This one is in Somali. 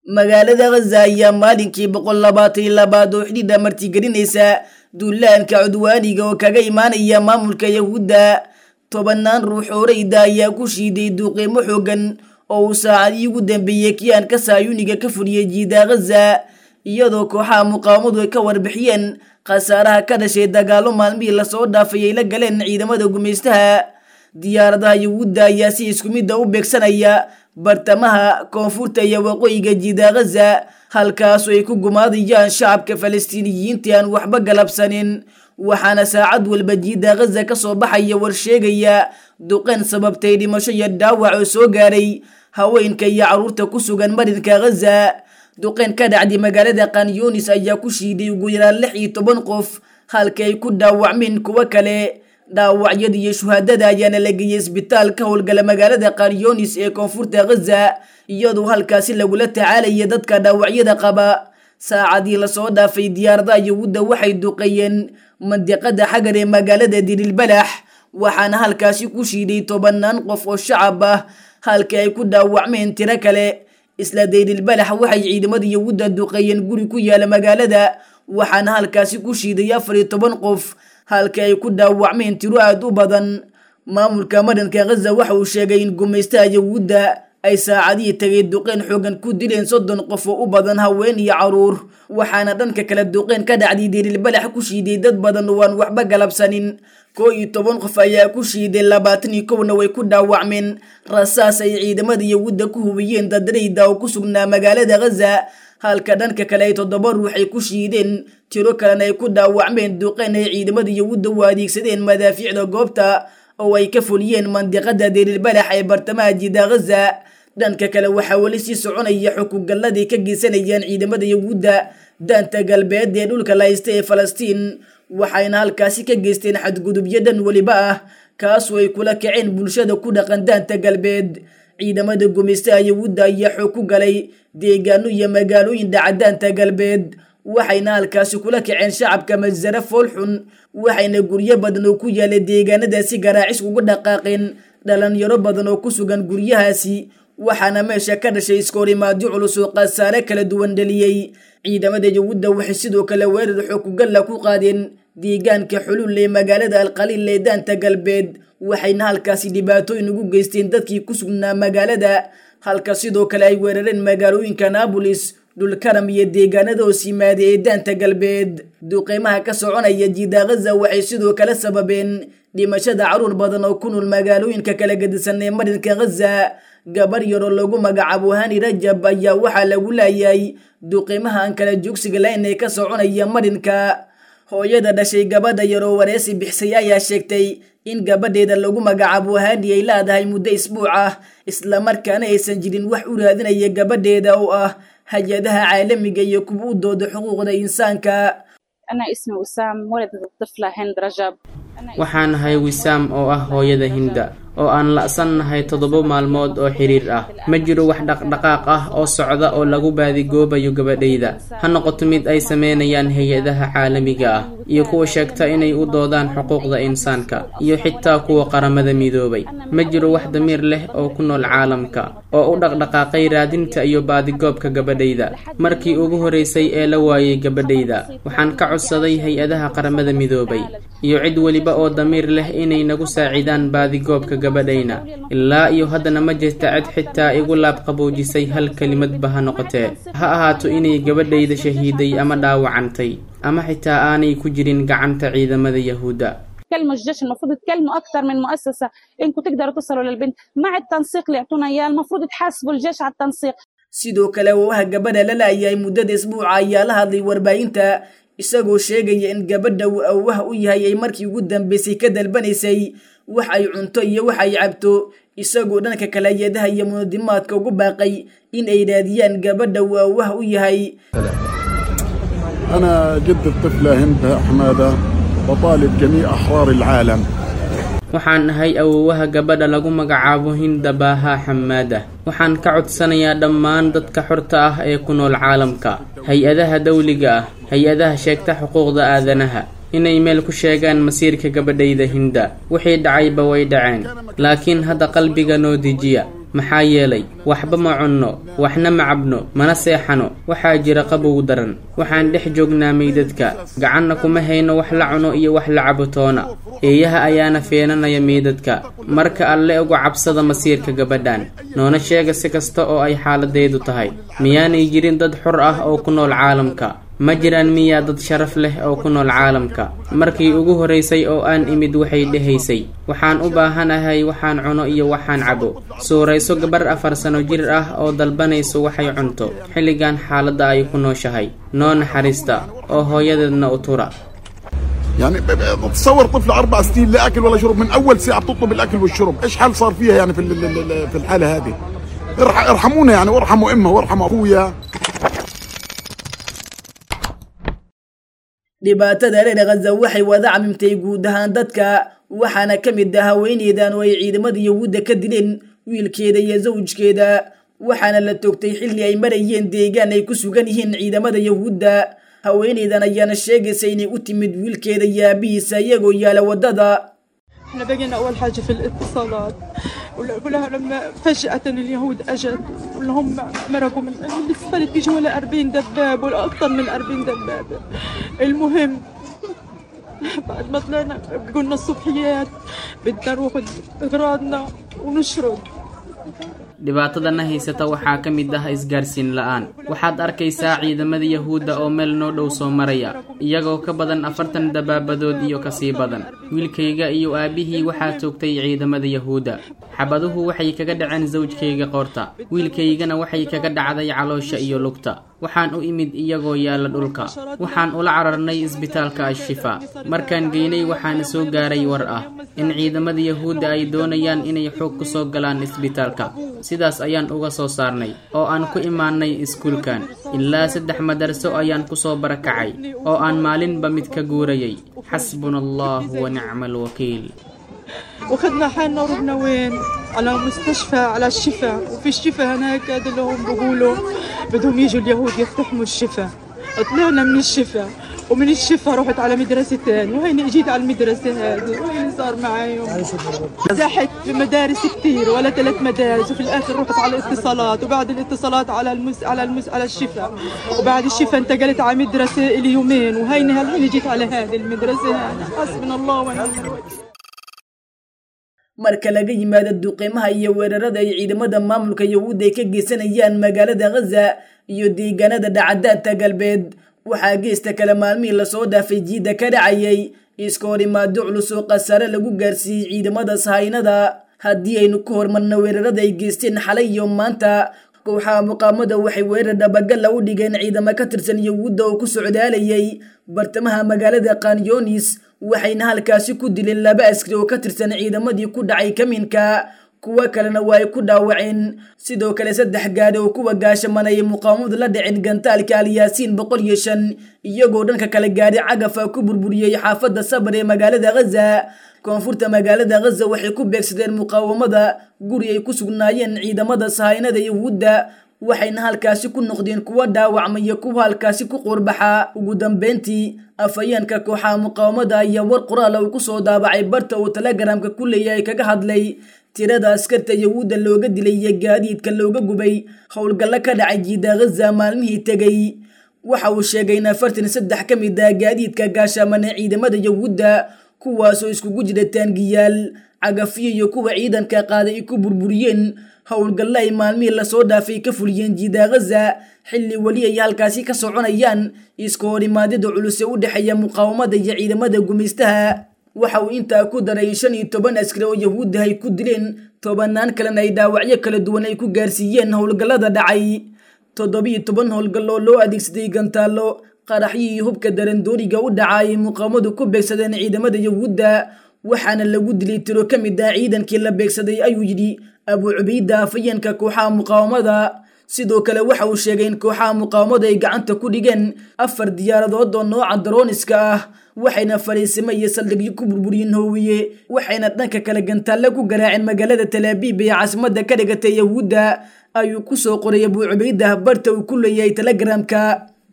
Magaalada Ghaza ayaa maalinkii 122aad oo xidhiidha martigelinaysa duulaanka cudwaaniga oo kaga imaanaya maamulka Yahuudda. Tobanaan ruux oo rayda ayaa ku shiiday duuqiimo xoogan oo uu saacadihii ugu dambeeyey kiyaanka saayuniga ka fuliyey jiida Ghaza, iyadoo kooxaha muqaawamadu ay ka warbixiyeen khasaaraha ka dhashay dagaallo maalmihii lasoo dhaafay ay la galeen ciidamada gumaystaha. Diyaaradaha Yahuudda ayaa si isku midda u beegsanaya bartamaha, koonfurta iyo waqooyiga jiida Ghaza, halkaasoo ay ku gumaadayaan shacabka Falastiiniyiinta aan waxba galabsanin. Waxaana saacad walba jiida Ghaza ka soo baxaya war sheegaya duqeyn sababtay dhimasho iyo dhaawac oo soo gaaray haweenka iyo carruurta ku sugan marinka Ghaza. Duqeyn ka dhacday magaalada Khan Yunis ayaa ku shiiday ugu yaraan 16 qof, halka ay ku dhaawacmeen kuwo kale. Dhaawacyada iyo shuhaadada ayaana la geeyey isbitaal ka howlgala magaalada Khan Yunis ee koonfurta Ghaza, iyadoo halkaasi lagula tacaalaya dadka dhaawacyada qaba. Saacadii lasoo dhaafay diyaaradaha Yahuudda waxay duqeeyeen mandiqada Xagar ee magaalada Dirilbalax, waxaana halkaasi ku shiiday tobanaan qof oo shacab ah, halka ay ku dhaawacmeen tiro kale. Isla Dayrilbalax waxay ciidamada Yahuudda duqeeyeen guri ku yaala magaalada, waxaana halkaasi ku shiiday 14 qof, halka ay ku dhaawacmeen tiro aad u badan. Maamulka marinka Ghaza waxa uu sheegay in gumaystaha Yahuudda ay saacadihii tagay duqeyn xoogan ku dileen 30 qof oo u badan haween iyo caruur, waxaana dhanka kale duqeyn ka dhacday Dayrilbalax ku shiiday dad badan oo aan waxba galabsanin. 11 qof ayaa ku shiiday, 21na way ku dhaawacmeen rasaas ay ciidamada Yahuudda ku hubiyeen dad rayda oo ku sugnaa magaalada Ghaza, halka dhanka kale ay 7 ruux ay ku shiideen, tiro kalena ay ku dhaawacmeen duqeyn ay ciidamada Yahuudda u adeegsadeen madaafiicda goobta oo ay ka fuliyeen mandiqada Dayrilbalax ee bartamaha jiida Ghaza. Dhanka kale waxaa weli sii soconaya xukugalladay ka geysanayaan ciidamada Yahuudda daanta galbeed ee dhulka la haysta ee Falastiin, waxayna halkaasi ka geysteen xadgudubyo dhan weliba ah, kaasoo ay kula kaceen bulshada ku dhaqan daanta galbeed. Ciidamada gumaystaha Yahuudda ayaa xoog ku galay deegaano iyo magaalooyin dhaca daanta galbeed, waxayna halkaasi kula kaceen shacabka masare foolxun, waxayna guryo badan oo ku yaala deegaanadaasi garaacis ugu dhaqaaqeen dhalinyaro badan oo ku sugan guryahaasi, waxaana meesha ka dhashay iskoorimaadyo culus oo khasaare kala duwan dhaliyey. Ciidamada Yahuudda waxay sidoo kale weerar xoogugalla ku qaadeen deegaanka Xulul ee magaalada Alqaliil ee daanta galbeed, waxayna halkaasi dhibaatooyin ugu geysteen dadkii ku sugnaa magaalada, halka sidoo kale ay weerareen magaalooyinka Naabolis, Dhulkaram iyo deegaanada hoos yimaada ee daanta galbeed. Duqeymaha ka soconaya jiida Ghaza waxay sidoo kale sababeen dhimashada carruur badan oo ku nool magaalooyinka kala gedisan ee marinka Ghaza. Gabar yaroo lagu magacaabo Hani Rajab ayaa waxaa lagu laayay duqeymaha aan kala joogsiga lahayn ee ka soconaya marinka. Hooyada dhashay gabadha yaroo wareysi bixisay ayaa sheegtay in gabadheeda lagu magacaabo Hani ay leedahay muddo isbuuc ah, islamarkaana aysan jirin wax u raadinaya gabadheeda oo ah hay-adaha caalamiga iyo kuwa u dooda xuquuqda insaanka. أنا اسمي وسام، والدة الطفلة هند رجب. Waxaan ahay Wisaam oo ah hooyada Hinda oo aan la'sannahay 7 maalmood oo xiriir ah. Ma jiro wax dhaqdhaqaaq ah oo socda oo lagu baadigoobayo gabadhayda, ha noqoto mid ay sameynayaan hay-adaha caalamiga ah iyo kuwa sheegta inay u doodaan xuquuqda insaanka iyo xitaa kuwa Qaramada Midoobay. Ma jiro wax damiir leh oo ku nool caalamka oo u dhaqdhaqaaqay raadinta iyo baadigoobka gabadhayda. Markii ugu horeysay ee la waayay gabadhayda, waxaan ka codsaday hay-adaha Qaramada Midoobay iyo cid weliba oo damiir leh inay nagu saacidaan baadigoobka gabadhayna. Ilaa iyo haddana ma jirta cid xitaa igu laabqaboojisay, hal kelimadba ha noqotee, ha ahaato inay gabadhayda shahiiday ama dhaawacantay ama xitaa aanay ku jirin gacanta ciidamada Yahuudda. تكلموا الجيش، المفروض تكلموا اكثر من مؤسسه انكم تقدروا تصلوا للبنت مع التنسيق اللي يعطونا اياه، المفروض تحاسبوا الجيش على التنسيق. Sidoo kale waawaha gabadha la la'yahay muddada isbuuca ayaa la hadlay warbaahinta, isagoo sheegaya in gabadha uu awowaha u yahay ay markii ugu dambeysay ka dalbanaysay wax ay cunto iyo wax ay cabto, isagoo dhanka kale hay-adaha iyo munadimaadka ugu baaqay in ay raadiyaan gabadha uu awowaha u yahay. أنا جد الطفلة هند حمادة، بطالب جميع أحرار العالم. Waxaan ahay awoowaha gabadha lagu magacaabo Hinda Baaha Xamaada. Waxaan ka codsanayaa dhammaan dadka xorta ah ee ku nool caalamka, hay-adaha dawliga ah, hay-adaha sheegta xuquuqda aadanaha, inay meel ku sheegaan masiirka gabadhayda Hinda. Wixii dhacayba way dhaceen, laakiin hadda qalbiga noo dejiya. Maxaa yeelay waxba ma cunno, waxna ma cabno, mana seexano. Waxaa jira qabow daran, waxaan dhex joognaa meydadka, gacanna kuma hayno wax la cuno iyo wax la cabo toona. Eeyaha ayaana feenanaya meydadka. Marka Alle uga cabsada masiirka gabadhan, noona sheega si kasta oo ay xaaladeedu tahay. Miyaanay jirin dad xor ah oo ku nool caalamka? Ma jiraan miyaa dad sharaf leh oo ku nool caalamka? Markii ugu horraysay oo aan imid waxay dhehaysay, waxaan u baahanahay waxaan cuno iyo waxaan cabo. Suurayso gabar 4 sano jir ah oo dalbanayso waxay cunto xilligan xaaladda ay ku nooshahay. Noo naxariista oo hooyadeedna u tura. يعني تصور طفل 4 سنين لا اكل ولا شرب، من اول ساعه بتطلب الاكل والشرب، ايش حال صار فيها يعني في الحاله هذه؟ ارحمونا يعني، وارحموا امها وارحموا اخويا. Dhibaatada reer Khaza waxay wada camimtay guud ahaan dadka, waxaana ka mid ah haweeneydan oo ay ciidamada Yahuudda ka dileen wiilkeeda iyo zawjkeeda, waxaana la toogtay xilli ay marayeen deegaan ay ku sugan yihiin ciidamada Yahuudda. Haweeneydan ayaana sheegaysa inay u timid wiilkeeda iyo aabihiisa iyagoo yaala waddada. احنا بقينا اول حاجه في الاتصالات كلها لما فجأة اليهود اجت واللي هم مرقوا من الاسفلت، بيجوا ولا 40 دباب ولا اكثر من 40 دبابة. المهم بعد ما طلعنا قلنا الصبحيات بدنا نروح اغراضنا ونشرد. Dhibaatadana haysata waxaa ka mid ah isgaarsiin la'aan. Waxaad arkaysaa ciidamada Yahuudda oo meel noo dhow soo maraya, iyagoo ka badan 40 dabaabadood iyo kasii badan. Wiilkayga iyo aabbihii waxaa toogtay ciidamada Yahuudda. Xabaduhu waxay kaga dhaceen zawjkayga qoorta, wiilkaygana waxay kaga dhacday caloosha iyo lugta. Waxaan u imid iyagoo yaalla dhulka. Waxaan ula cararnay isbitaalka Ashifa. Markaan geynay waxaana soo gaaray war ah in ciidamada Yahuudda ay doonayaan inay xoog ku soo galaan isbitaalka. Sidaas ayaan uga soo saarnay oo aan ku imaanay iskuulkan. Ilaa 3 madarso ayaan ku soo barakacay oo aan maalinba mid ka guurayay. Xasbuna allahu wa nicma alwakiil. واخذنا حالنا ورحنا وين؟ على مستشفى، على الشفا. وفي الشفا هناك هذا اللي هم بيقولوا بدهم يجوا اليهود يقتحموا الشفا. طلعنا من الشفا، ومن الشفا رحت على مدرسة ثانية، وهيني اجيت على المدرسة هذه، وهيني صار معي زحت في مدارس كثير ولا 3 مدارس، وفي الاخر رحت على الاتصالات، وبعد الاتصالات على المس على المس على الشفا، وبعد الشفا انتقلت على مدرسة لي يومين، وهيني هالحين جيت على هذه المدرسة هذه. حسبنا الله ونعم الوكيل. Marka laga yimaado duqeymaha iyo weerarada ay ciidamada maamulka Yahuudda ay ka geysanayaan magaalada Khaza iyo deegaanada dhacdaanta galbeed, waxaa geesta kale maalmihii lasoo dhaafay jiidda ka dhacayay iska hor imaado culus oo khasaare lagu gaarsiiyey ciidamada sahaynada. Haddii aynu ku hormarno weerarada ay geysteen xalay iyo maanta, kooxaha muqaamada waxay weerar dhabagala u dhigeen ciidamo ka tirsan Yahuudda oo ku socdaalayay bartamaha magaalada Khanyonis, waxayna halkaasi ku dileen 2 askari oo ka tirsan ciidamadii ku dhacay kaminka, kuwa kalena waa ay ku dhaawaceen. Sidoo kale 3 gaadhi oo kuwa gaashamanayay muqaawamadu la dhaceen gantaalka Alyaasiin 105, iyagoo dhanka kale gaadhi cagafa ku burburiyey xaafadda Sabar ee magaalada Khaza. Koonfurta magaalada Khaza waxay ku beegsadeen muqaawamada guri ay ku sugnaayeen ciidamada sahaynada Yahuudda, waxayna halkaasi ku noqdeen kuwa dhaawacmay iyo kuwa halkaasi ku qoorbaxa. Ugu dambeyntii, afhayeenka kooxaha muqaawamada ayaa war qoraal uu ku soo daabacay barta uu Telegramka ku leeyahay kaga hadlay tirada askarta Yahuudda looga dilay iyo gaadiidka looga gubay howlgallo ka dhacay jiida Khaza maalmihii tegay. Waxa uu sheegay in 43 ka mid ah gaadiidka gaashaamana ciidamada Yahuudda, kuwaasoo iskugu jira taangiyaal, cagafyo iyo kuwa ciidanka qaaday ay ku burburiyeen howlgallo ay maalmihii lasoo dhaafay ka fuliyeen jiida Khaza, xilli weli ay halkaasi ka soconayaan iska horimaadyada culus ee u dhexeeya muqaawamada iyo ciidamada gumaystaha. Waxa uu intaa ku daray 15 askari oo Yahuudda ay ku dileen, 10 kalena ay dhaawacyo kala duwan ay ku gaarsiiyeen howlgallada dhacay. 17 howlgal oo loo adeegsaday gantaallo, qaraxyo iyo hubka darandooriga u dhacay muqaawamadu ku beegsadeen ciidamada Yahuudda, waxaana lagu dilay tiro ka mid ah ciidankii la beegsaday, ayuu yidhi Abu Cubayda, afhayeenka kooxaha muqaawamada. Sidoo kale waxa uu sheegay in kooxaha muqaawamada ay gacanta ku dhigeen 4 diyaaradood oo nooca darooniska ah, waxayna fariisimo iyo saldhigyo ku burburiyeen hoowiye, waxayna dhanka kale gantaalle ku garaaceen magaalada Tel Aviv ee caasimadda ka dhigatay Yahuudda, ayuu ku soo qoray Abu Cubayda barta uu ku leeyahay Telegramka.